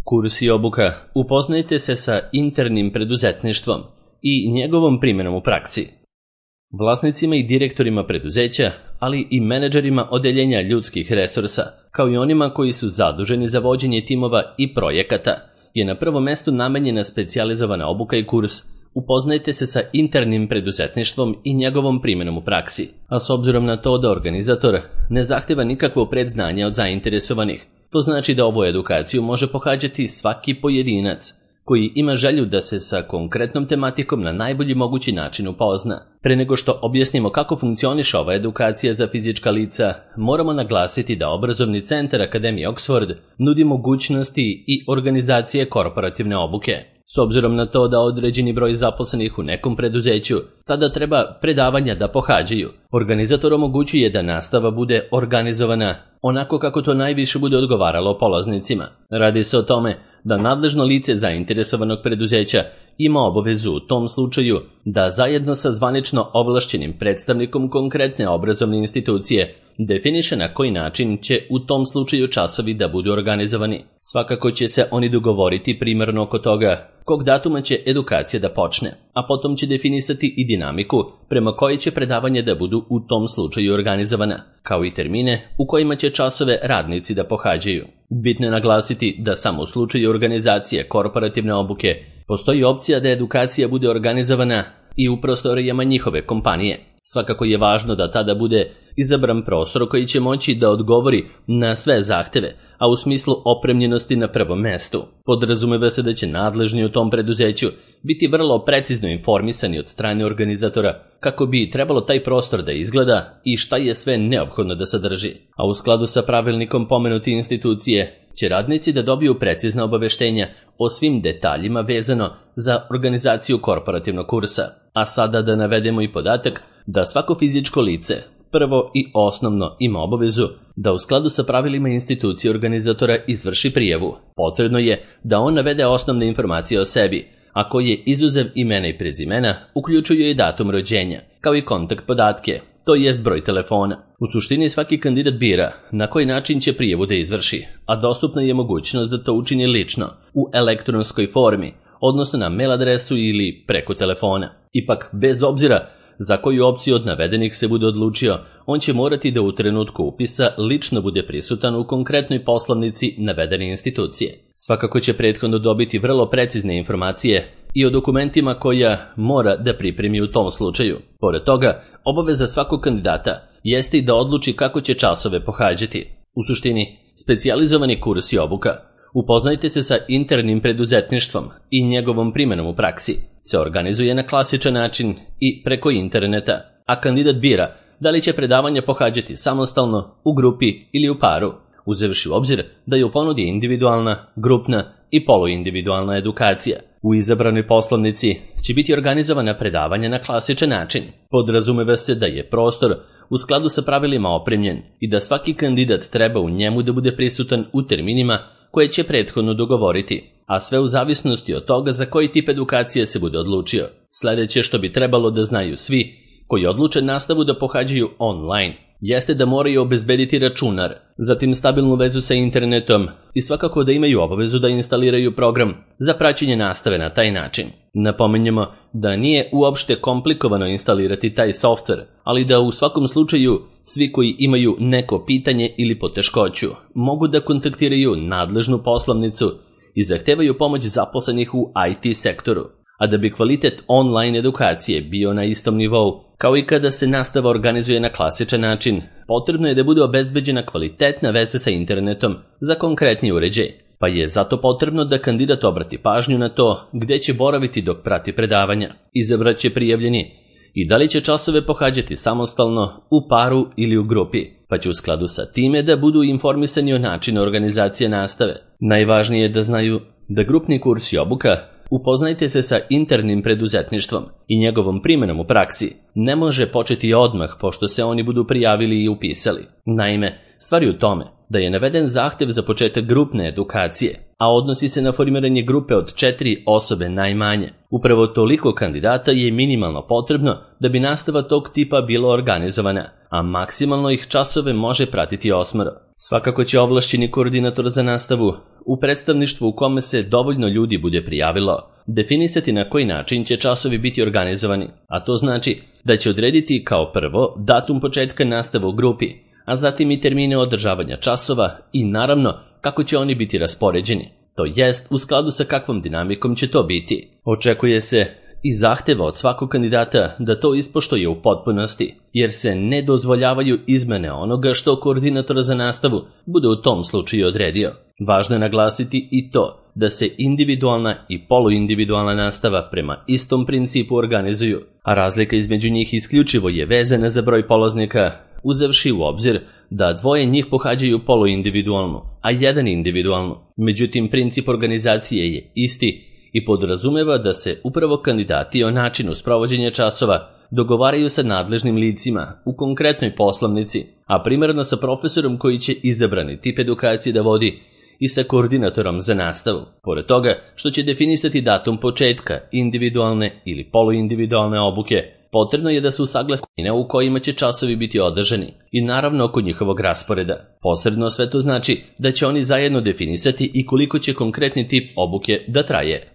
Kurs i obuka. Upoznajte se sa internim preduzetništvom i njegovom primjenom u praksi. Vlasnicima i direktorima preduzeća, ali i menadžerima odeljenja ljudskih resursa, kao i onima koji su zaduženi za vođenje timova i projekata, je na prvom mestu namenjena specijalizovana obuka i kurs. Upoznajte se sa internim preduzetništvom i njegovom primjenom u praksi. A s obzirom na to da organizator ne zahteva nikakvo predznanje od zainteresovanih, to znači da ovu edukaciju može pohađati svaki pojedinac koji ima želju da se sa konkretnom tematikom na najbolji mogući način upozna. Pre nego što objasnimo kako funkcioniše ova edukacija za fizička lica, moramo naglasiti da obrazovni centar Akademije Oxford nudi mogućnosti i organizacije korporativne obuke. S obzirom na to da određeni broj zaposlenih u nekom preduzeću tada treba predavanja da pohađaju, organizator omogućuje da nastava bude organizovana onako kako to najviše bude odgovaralo polaznicima. Radi se o tome da nadležno lice zainteresovanog preduzeća ima obavezu u tom slučaju da zajedno sa zvanično ovlašćenim predstavnikom konkretne obrazovne institucije definiše na koji način će u tom slučaju časovi da budu organizovani. Svakako će se oni dogovoriti primarno oko toga kog datuma će edukacija da počne, a potom će definisati i dinamiku prema kojoj će predavanja da budu u tom slučaju organizovana, kao i termine u kojima će časove radnici da pohađaju. Bitno je naglasiti da samo u slučaju organizacije korporativne obuke postoji opcija da edukacija bude organizovana i u prostorijama njihove kompanije. Svakako je važno da tada bude izabran prostor koji će moći da odgovori na sve zahteve, a u smislu opremljenosti na prvom mestu. Podrazumeva se da će nadležni u tom preduzeću biti vrlo precizno informisani od strane organizatora kako bi trebalo taj prostor da izgleda i šta je sve neophodno da sadrži. A u skladu sa pravilnikom pomenute institucije će radnici da dobiju precizna obaveštenja o svim detaljima vezano za organizaciju korporativnog kursa. A sada da navedemo i podatak da svako fizičko lice prvo i osnovno ima obavezu da u skladu sa pravilima institucije organizatora izvrši prijavu. Potrebno je da on navede osnovne informacije o sebi, a koje izuzev imena i prezimena uključuju i datum rođenja, kao i kontakt podatke, to jest broj telefona. U suštini svaki kandidat bira na koji način će prijavu da izvrši, a dostupna je mogućnost da to učini lično, u elektronskoj formi, odnosno na mail adresu ili preko telefona. Ipak, bez obzira za koju opciju od navedenih se bude odlučio, on će morati da u trenutku upisa lično bude prisutan u konkretnoj poslovnici navedene institucije. Svakako će prethodno dobiti vrlo precizne informacije i o dokumentima koja mora da pripremi u tom slučaju. Pored toga, obaveza svakog kandidata jeste i da odluči kako će časove pohađati. U suštini, specijalizovani kurs i obuka Upoznajte se sa internim preduzetništvom i njegovom primjenom u praksi se organizuje na klasičan način i preko interneta, a kandidat bira da li će predavanja pohađati samostalno, u grupi ili u paru, uzevši u obzir da je u ponudi individualna, grupna i poluindividualna edukacija. U izabranoj poslovnici će biti organizovana predavanja na klasičan način. Podrazumeva se da je prostor u skladu sa pravilima opremljen i da svaki kandidat treba u njemu da bude prisutan u terminima koje će prethodno dogovoriti, a sve u zavisnosti od toga za koji tip edukacije se bude odlučio. Sledeće što bi trebalo da znaju svi koji odluče nastavu da pohađaju online jeste da moraju obezbediti računar, zatim stabilnu vezu sa internetom i svakako da imaju obavezu da instaliraju program za praćenje nastave na taj način. Napominjemo da nije uopšte komplikovano instalirati taj softver, ali da u svakom slučaju svi koji imaju neko pitanje ili poteškoću mogu da kontaktiraju nadležnu poslovnicu i zahtevaju pomoć zaposlenih u IT sektoru. A da bi kvalitet online edukacije bio na istom nivou, kao i kada se nastava organizuje na klasičan način, potrebno je da bude obezbeđena kvalitetna veza sa internetom za konkretni uređaj, pa je zato potrebno da kandidat obrati pažnju na to gde će boraviti dok prati predavanja, izabraće prijavljeni i da li će časove pohađati samostalno, u paru ili u grupi, pa će u skladu sa time da budu informisani o načinu organizacije nastave. Najvažnije je da znaju da grupni kurs i obuka Upoznajte se sa internim preduzetništvom i njegovom primjenom u praksi ne može početi odmah pošto se oni budu prijavili i upisali. Naime, stvar je u tome da je naveden zahtev za početak grupne edukacije, a odnosi se na formiranje grupe od 4 osobe najmanje. Upravo toliko kandidata je minimalno potrebno da bi nastava tog tipa bila organizovana, a maksimalno ih časove može pratiti 8. Svakako će ovlašćeni koordinator za nastavu u predstavništvu u kome se dovoljno ljudi bude prijavilo definisati na koji način će časovi biti organizovani, a to znači da će odrediti kao prvo datum početka nastave u grupi, a zatim i termine održavanja časova i naravno kako će oni biti raspoređeni, to jest u skladu sa kakvom dinamikom će to biti. Očekuje se i zahteva od svakog kandidata da to ispoštuje u potpunosti, jer se ne dozvoljavaju izmene onoga što koordinator za nastavu bude u tom slučaju odredio. Važno je naglasiti i to da se individualna i poluindividualna nastava prema istom principu organizuju, a razlika između njih isključivo je vezana za broj polaznika, uzevši u obzir da dvoje njih pohađaju poluindividualnu, a jedan individualnu. Međutim, princip organizacije je isti i podrazumeva da se upravo kandidati o načinu sprovođenja časova dogovaraju sa nadležnim licima u konkretnoj poslovnici, a primarno sa profesorom koji će izabrani tip edukacije da vodi i sa koordinatorom za nastavu. Pored toga što će definisati datum početka individualne ili poluindividualne obuke, potrebno je da se usaglase u kojima će časovi biti održani i naravno oko njihovog rasporeda. Posredno sve to znači da će oni zajedno definisati i koliko će konkretni tip obuke da traje.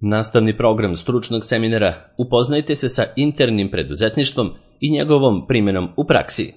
Nastavni program stručnog seminara Upoznajte se sa internim preduzetništvom i njegovom primjenom u praksi.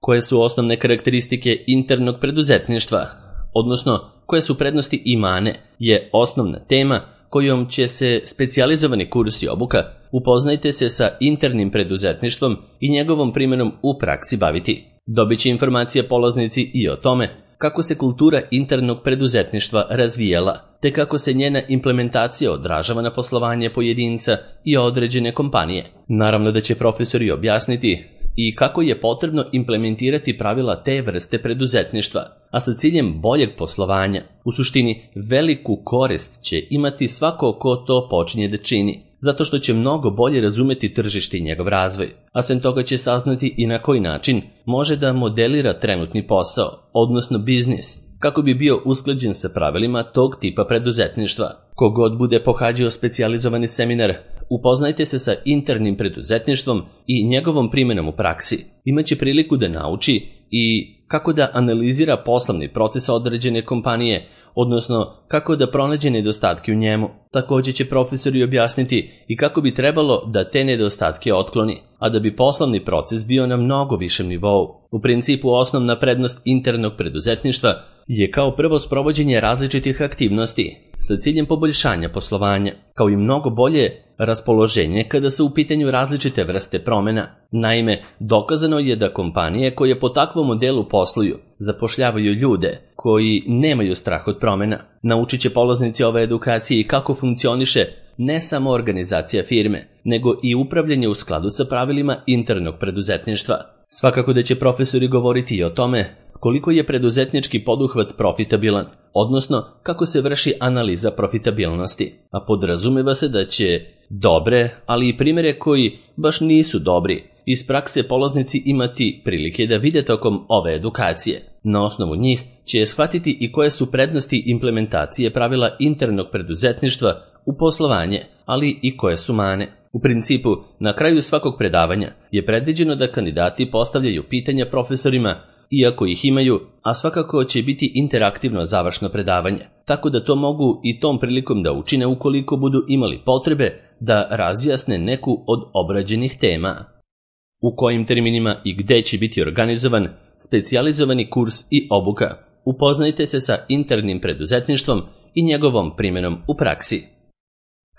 Koje su osnovne karakteristike internog preduzetništva, odnosno koje su prednosti i mane, je osnovna tema kojom će se specijalizovani kurs i obuka Upoznajte se sa internim preduzetništvom i njegovom primjenom u praksi baviti. Dobit će informacije polaznici i o tome kako se kultura internog preduzetništva razvijela, te kako se njena implementacija odražava na poslovanje pojedinca i određene kompanije. Naravno da će profesori objasniti i kako je potrebno implementirati pravila te vrste preduzetništva, a sa ciljem boljeg poslovanja. U suštini, veliku korist će imati svako ko to počinje da čini, zato što će mnogo bolje razumeti tržište i njegov razvoj, a sem toga će saznati i na koji način može da modelira trenutni posao, odnosno biznis, kako bi bio usklađen sa pravilima tog tipa preduzetništva. Kogod bude pohađao specijalizovani seminar Upoznajte se sa internim preduzetništvom i njegovom primjenom u praksi, imaće priliku da nauči i kako da analizira poslovni proces određene kompanije, odnosno kako da pronađe nedostatke u njemu. Također će profesori objasniti i kako bi trebalo da te nedostatke otkloni, a da bi poslovni proces bio na mnogo višem nivou. U principu osnovna prednost internog preduzetništva je kao prvo sprovođenje različitih aktivnosti sa ciljem poboljšanja poslovanja, kao i mnogo bolje raspoloženje kada su u pitanju različite vrste promjena. Naime, dokazano je da kompanije koje po takvom modelu posluju zapošljavaju ljude koji nemaju strah od promjena. Naučit će polaznici ove edukacije i kako funkcioniše ne samo organizacija firme, nego i upravljanje u skladu sa pravilima internog preduzetništva. Svakako da će profesori govoriti i o tome koliko je preduzetnički poduhvat profitabilan, odnosno kako se vrši analiza profitabilnosti, a podrazumeva se da će dobre, ali i primjere koji baš nisu dobri iz prakse polaznici imati prilike da vide tokom ove edukacije. Na osnovu njih će shvatiti i koje su prednosti implementacije pravila internog preduzetništva u poslovanje, ali i koje su mane. U principu, na kraju svakog predavanja je predviđeno da kandidati postavljaju pitanja profesorima, iako ih imaju, a svakako će biti interaktivno završno predavanje, tako da to mogu i tom prilikom da učine ukoliko budu imali potrebe da razjasne neku od obrađenih tema. U kojim terminima i gde će biti organizovan specijalizovani kurs i obuka. Upoznajte se sa internim preduzetništvom i njegovom primjenom u praksi.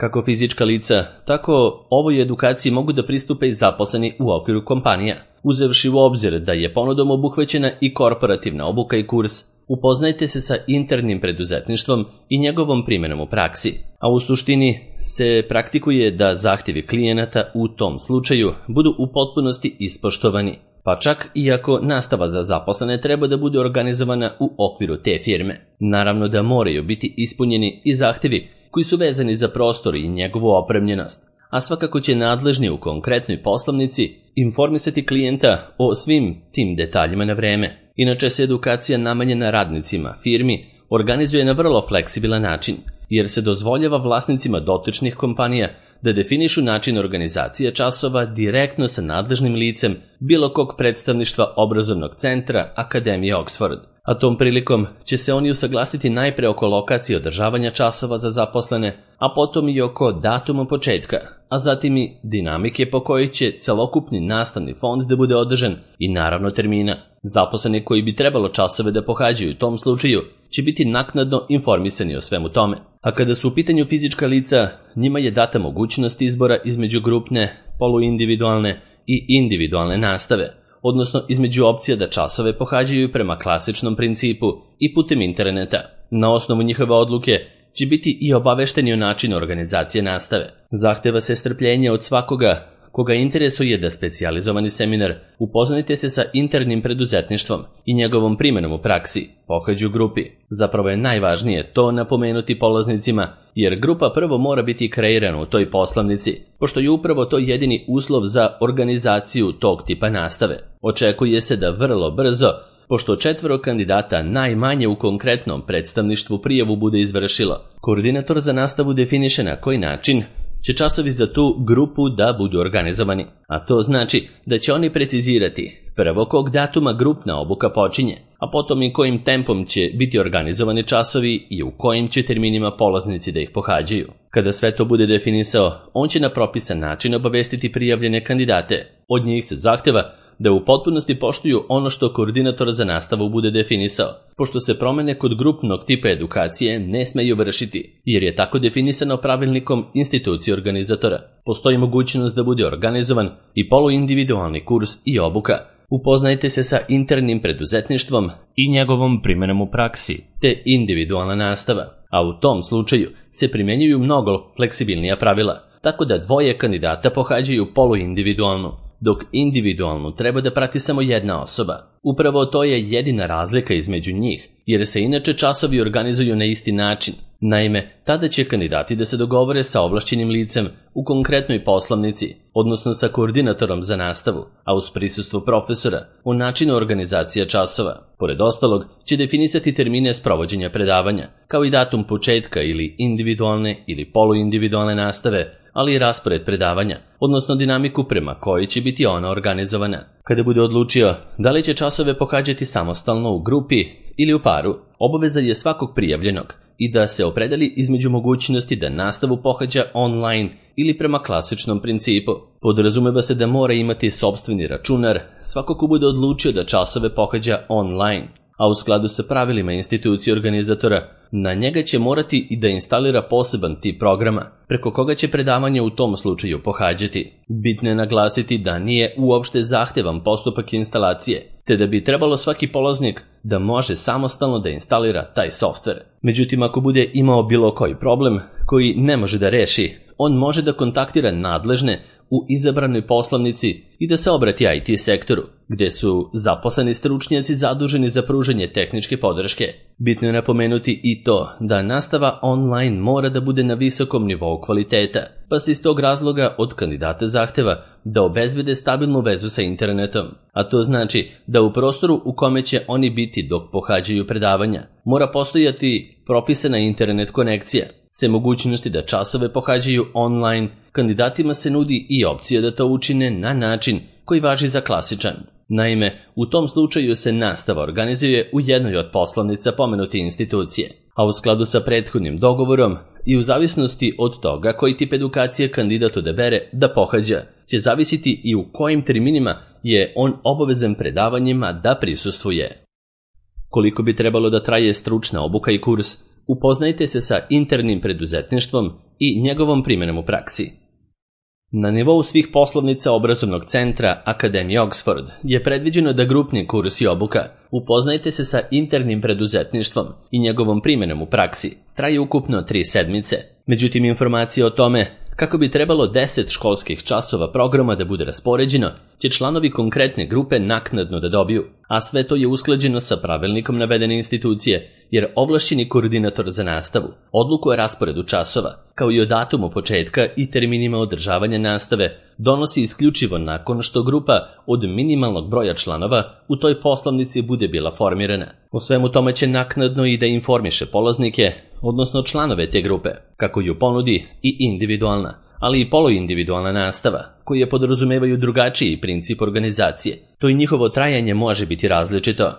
Kako fizička lica, tako ovoj edukaciji mogu da pristupe i zaposleni u okviru kompanija. Uzevši u obzir da je ponudom obuhvaćena i korporativna obuka i kurs, upoznajte se sa internim preduzetništvom i njegovom primjenom u praksi. A u suštini se praktikuje da zahtjevi klijenata u tom slučaju budu u potpunosti ispoštovani, pa čak i ako nastava za zaposlene treba da bude organizovana u okviru te firme. Naravno da moraju biti ispunjeni i zahtjevi koji su vezani za prostor i njegovu opremljenost, a svakako će nadležni u konkretnoj poslovnici informisati klijenta o svim tim detaljima na vreme. Inače se edukacija namenjena radnicima firmi organizuje na vrlo fleksibilan način, jer se dozvoljava vlasnicima dotičnih kompanija da definišu način organizacije časova direktno sa nadležnim licem bilo kog predstavništva obrazovnog centra Akademije Oxford. A tom prilikom će se oni usaglasiti najpre oko lokacije održavanja časova za zaposlene, a potom i oko datuma početka, a zatim i dinamike po kojoj će celokupni nastavni fond da bude održan i naravno termina. Zaposleni koji bi trebalo časove da pohađaju u tom slučaju će biti naknadno informisani o svemu tome. A kada su u pitanju fizička lica, njima je data mogućnost izbora između grupne, poluindividualne i individualne nastave, odnosno između opcija da časove pohađaju prema klasičnom principu i putem interneta. Na osnovu njihove odluke će biti i obavešteni o načinu organizacije nastave. Zahteva se strpljenje od svakoga koga interesuje da specijalizovani seminar upoznajte se sa internim preduzetništvom i njegovom primjenom u praksi, pohađu grupi. Zapravo je najvažnije to napomenuti polaznicima, jer grupa prvo mora biti kreirana u toj poslovnici, pošto je upravo to jedini uslov za organizaciju tog tipa nastave. Očekuje se da vrlo brzo, pošto 4 kandidata najmanje u konkretnom predstavništvu prijavu bude izvršilo, koordinator za nastavu definiše na koji način će časovi za tu grupu da budu organizovani, a to znači da će oni precizirati prvo kog datuma grupna obuka počinje, a potom i kojim tempom će biti organizovani časovi i u kojim će terminima polaznici da ih pohađaju. Kada sve to bude definisao, on će na propisan način obavestiti prijavljene kandidate. Od njih se zahteva da u potpunosti poštuju ono što koordinator za nastavu bude definisao, pošto se promene kod grupnog tipa edukacije ne smeju vršiti, jer je tako definisano pravilnikom institucije organizatora. Postoji mogućnost da bude organizovan i poluindividualni kurs i obuka. Upoznajte se sa internim preduzetništvom i njegovom primjenom u praksi, te individualna nastava, a u tom slučaju se primjenjuju mnogo fleksibilnija pravila, tako da 2 kandidata pohađaju poluindividualnu, dok individualnu treba da prati samo jedna osoba. Upravo to je jedina razlika između njih, jer se inače časovi organizuju na isti način. Naime, tada će kandidati da se dogovore sa ovlašćenim licem u konkretnoj poslovnici, odnosno sa koordinatorom za nastavu, a uz prisustvo profesora u načinu organizacije časova. Pored ostalog, će definisati termine sprovođenja predavanja, kao i datum početka ili individualne ili poluindividualne nastave, ali i raspored predavanja, odnosno dinamiku prema kojoj će biti ona organizovana. Kada bude odlučio da li će časove pohađati samostalno u grupi ili u paru, obaveza je svakog prijavljenog i da se opredeli između mogućnosti da nastavu pohađa online ili prema klasičnom principu. Podrazumeva se da mora imati sopstveni računar svako ko bude odlučio da časove pohađa online, a u skladu sa pravilima institucije organizatora, na njega će morati i da instalira poseban tip programa, preko koga će predavanje u tom slučaju pohađati. Bitno je naglasiti da nije uopšte zahtevan postupak instalacije, te da bi trebalo svaki polaznik da može samostalno da instalira taj softver. Međutim, ako bude imao bilo koji problem koji ne može da reši, on može da kontaktira nadležne u izabranoj poslovnici i da se obrati IT sektoru, gde su zaposleni stručnjaci zaduženi za pružanje tehničke podrške. Bitno je napomenuti i to da nastava online mora da bude na visokom nivou kvaliteta, pa se iz tog razloga od kandidata zahteva da obezbede stabilnu vezu sa internetom, a to znači da u prostoru u kome će oni biti dok pohađaju predavanja mora postojati propisana internet konekcija. Se mogućnosti da časove pohađaju online, kandidatima se nudi i opcija da to učine na način koji važi za klasičan. Naime, u tom slučaju se nastava organizuje u jednoj od poslovnica pomenute institucije, a u skladu sa prethodnim dogovorom i u zavisnosti od toga koji tip edukacije kandidat odabere da pohađa, će zavisiti i u kojim terminima je on obavezan predavanjima da prisustvuje. Koliko bi trebalo da traje stručna obuka i kurs, upoznajte se sa internim preduzetništvom i njegovom primjenom u praksi. Na nivou svih poslovnica obrazovnog centra Akademije Oxford je predviđeno da grupni kurs i obuka upoznajte se sa internim preduzetništvom i njegovom primjenom u praksi traje ukupno 3 sedmice. Međutim, informacije o tome kako bi trebalo 10 školskih časova programa da bude raspoređeno, će članovi konkretne grupe naknadno da dobiju, a sve to je usklađeno sa pravilnikom navedene institucije, jer ovlašćeni koordinator za nastavu odluku o rasporedu časova, kao i o datumu početka i terminima održavanja nastave, donosi isključivo nakon što grupa od minimalnog broja članova u toj poslovnici bude bila formirana. O svemu tome će naknadno i da informiše polaznike, odnosno članove te grupe, kako ju ponudi i individualna, ali i poluindividualna nastava, koje podrazumevaju drugačiji princip organizacije. To i njihovo trajanje može biti različito.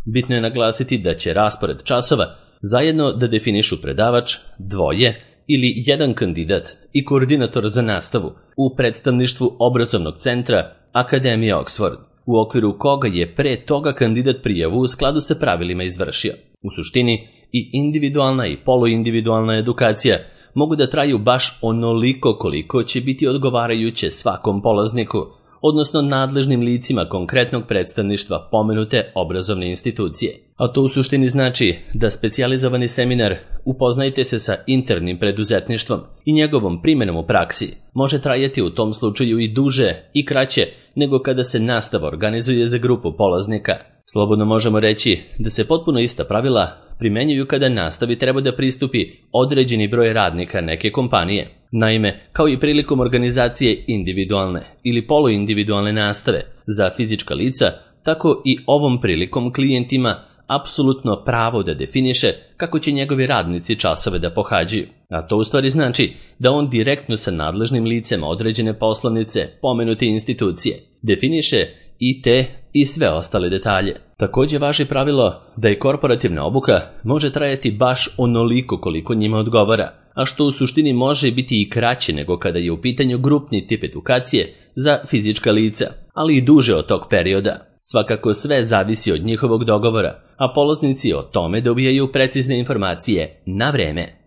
Bitno je naglasiti da će raspored časova zajedno da definišu predavač, dvoje ili jedan kandidat i koordinator za nastavu u predstavništvu obrazovnog centra Akademije Oxford, u okviru koga je pre toga kandidat prijavu u skladu sa pravilima izvršio. U suštini, i individualna i poluindividualna edukacija mogu da traju baš onoliko koliko će biti odgovarajuće svakom polazniku, odnosno nadležnim licima konkretnog predstavništva pomenute obrazovne institucije. A to u suštini znači da specijalizovani seminar Upoznajte se sa internim preduzetništvom i njegovom primjenom u praksi može trajati u tom slučaju i duže i kraće nego kada se nastava organizuje za grupu polaznika. Slobodno možemo reći da se potpuno ista pravila primenjuju kada nastavi treba da pristupi određeni broj radnika neke kompanije. Naime, kao i prilikom organizacije individualne ili poluindividualne nastave za fizička lica, tako i ovom prilikom klijent ima apsolutno pravo da definiše kako će njegovi radnici časove da pohađaju. A to u stvari znači da on direktno sa nadležnim licem određene poslovnice pomenute institucije definiše i te i sve ostale detalje. Također važi pravilo da i korporativna obuka može trajati baš onoliko koliko njima odgovara, a što u suštini može biti i kraće nego kada je u pitanju grupni tip edukacije za fizička lica, ali i duže od tog perioda. Svakako sve zavisi od njihovog dogovora, a polaznici o tome dobijaju precizne informacije na vreme.